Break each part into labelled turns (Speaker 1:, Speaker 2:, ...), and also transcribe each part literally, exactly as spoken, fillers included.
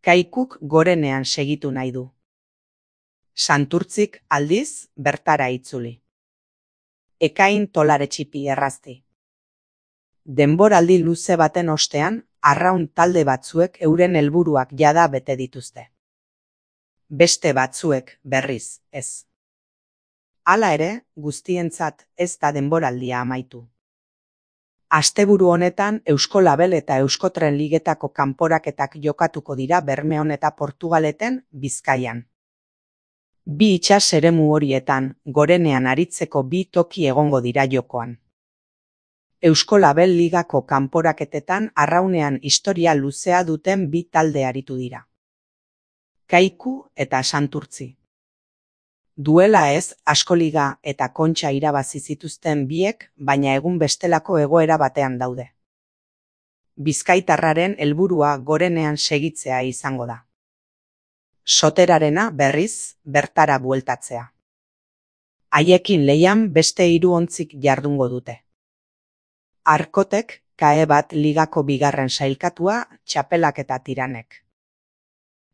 Speaker 1: Kaikuk gorenean segitu nahi du. Santurtzik aldiz bertara itzuli. Ekain tolare txipi errazti. Denboraldi luze baten ostean, arraun talde batzuek euren helburuak jada bete dituzte. Beste batzuek, berriz, ez. Hala ere, guztientzat ez da denboraldia amaitu. Asteburu honetan Eusko Label eta Euskotren ligetako kanporaketak jokatuko dira Bermeon eta Portugaleten, Bizkaian. Bi itsas eremu horietan, gorenean aritzeko bi toki egongo dira jokoan. Eusko Label ligako kanporaketetan arraunean historia luzea duten bi talde aritu dira. Kaiku eta Santurtzi. Duela ez, Askoliga eta Kontxa irabazi zituzten biek, baina egun bestelako egoera batean daude. Bizkaitarraren helburua gorenean segitzea izango da. Soterarena, berriz, bertara bueltatzea. Haiekin lehian beste hiru ontzik jardungo dute. Arkotek, kae bat ligako bigarren sailkatua, Txapelak eta Tiranek.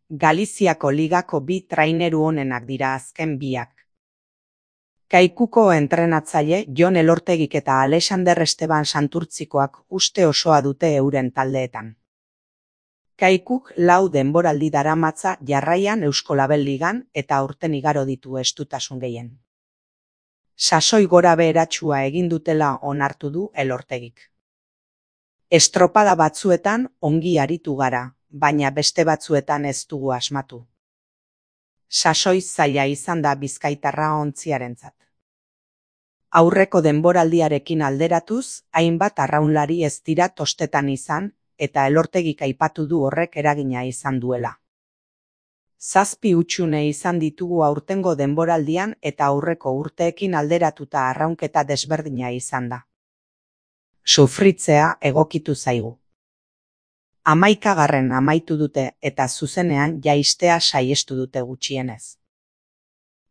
Speaker 1: Galiziako ligako bi traineru onenak dira azken biak. Kaikuko entrenatzaile Jon Elortegik eta Alexander Esteban Santurtzikoak uste osoa dute euren taldeetan. Kaikuk lau denboraldi daramatza jarraian Eusko Label ligan eta aurten igaro ditu estutasun gehien. Sasoi gora beheratsua egin dutela onartu du Elortegik. Estropada batzuetan ongi aritu gara, baina beste batzuetan ez dugu asmatu. Sasoi zaila izan da bizkaitarra ontziarentzat. Aurreko denboraldiarekin alderatuz, hainbat arraunlari ez dira tostetan izan, eta Elortegik aipatu du horrek eragina izan duela. Zazpi hutsune izan ditugu aurtengo denboraldian eta aurreko urteekin alderatuta arraunketa desberdina izan da. Sufritzea egokitu zaigu. Hamaikagarren amaitu dute eta zuzenean jaistea saiestu dute gutxienez.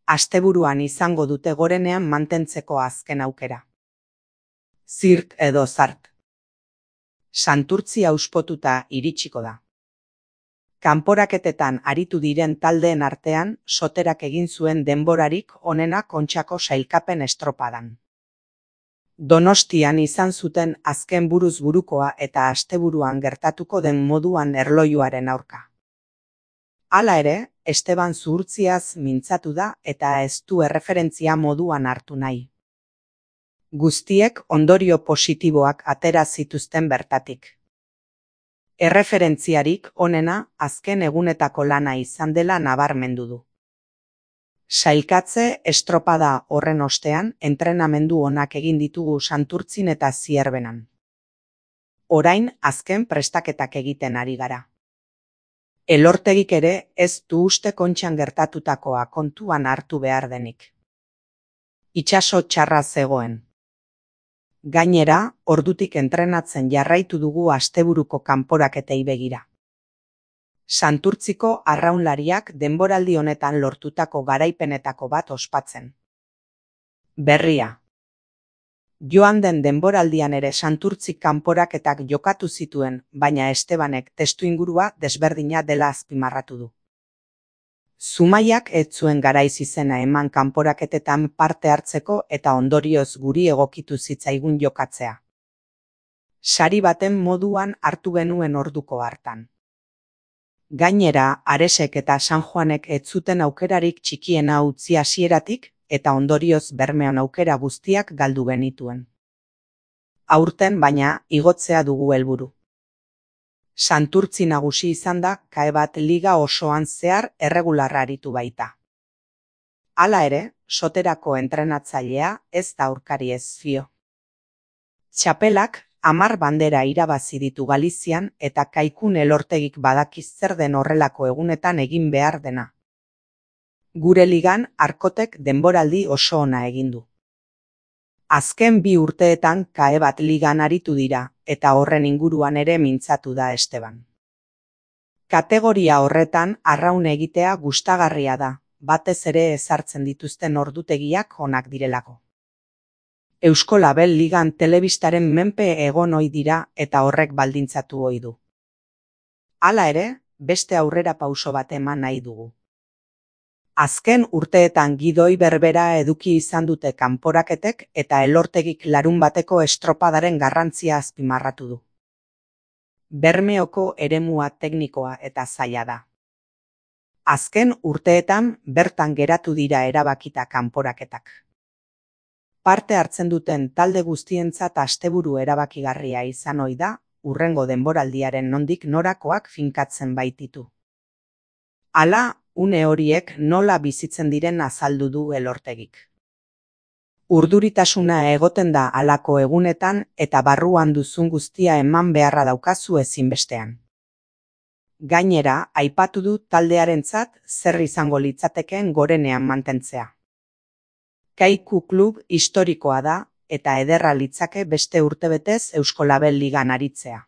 Speaker 1: Asteburuan izango dute gorenean mantentzeko azken aukera. Zirk edo zart. Santurtzi auspotuta iritsiko da. Kanporaketetan aritu diren taldeen artean, Soterak egin zuen denborarik onena Kontxako sailkapen estropadan. Donostian izan zuten azken buruz burukoa eta asteburuan gertatuko den moduan erlojuaren aurka. Hala ere, Esteban zuhurtziaz mintzatu da eta ez du erreferentzia moduan hartu nahi. Guztiek ondorio positiboak atera zituzten bertatik. Erreferentziarik onena azken egunetako lana izan dela nabarmendu du. Sailkatze estropada horren ostean entrenamendu onak egin ditugu Santurtzin eta Zierbenan. Orain azken prestaketak egiten ari gara. Elortegik ere ez du uste Kontxan gertatutakoa kontuan hartu behar denik. Itsaso txarra zegoen. Gainera, ordutik entrenatzen jarraitu dugu asteburuko kanporaketei begira. Santurtziko arraunlariak denboraldi honetan lortutako garaipenetako bat ospatzen. Berria. Joan den denboraldian ere Santurtzik kanporaketak jokatu zituen, baina Estebanek testuingurua desberdina dela azpimarratu du. Zumaiak ez zuen garaiz izena eman kanporaketetan parte hartzeko eta ondorioz guri egokitu zitzaigun jokatzea. Sari baten moduan hartu genuen orduko hartan. Gainera, Aresek eta San Juanek ez zuten aukerarik txikiena utzi hasieratik eta ondorioz Bermeon aukera guztiak galdu genituen. Aurten baina igotzea dugu helburu. Santurtzi nagusi izan da kae bat liga osoan zehar erregularra aritu baita. Hala ere, Soterako entrenatzailea ez da aurkari ez fio. Txapelak hamar bandera irabazi ditu Galizian eta Kaikun Elortegik badakiz zer den horrelako egunetan egin behar dena. Gure ligan Arkotek denboraldi oso ona egin du. Azken bi urteetan kae bat ligan aritu dira eta horren inguruan ere mintzatu da Esteban. Kategoria horretan arraun egitea gustagarria da, batez ere ezartzen dituzten ordutegiak onak direlako. Eusko Label ligan telebistaren menpe egon ohi dira eta horrek baldintzatu ohi du. Hala ere, beste aurrera pauso bat eman nahi dugu. Azken urteetan gidoi berbera eduki izan dute kanporaketek eta Elortegik larunbateko estropadaren garrantzia azpimarratu du. Bermeoko eremua teknikoa eta zaila da. Azken urteetan bertan geratu dira erabakita kanporaketak. Parte hartzen duten talde guztientzat asteburu erabakigarria izan ohi da, hurrengo denboraldiaren nondik norakoak finkatzen baititu. Hala, une horiek nola bizitzen diren azaldu du Elortegik. Urduritasuna egoten da halako egunetan eta barruan duzun guztia eman beharra daukazu ezinbestean. Gainera, aipatu du taldearentzat zer izango litzatekeen gorenean mantentzea. Kaiku klub historikoa da eta ederra litzake beste urtebetez Euskolabel Ligan aritzea.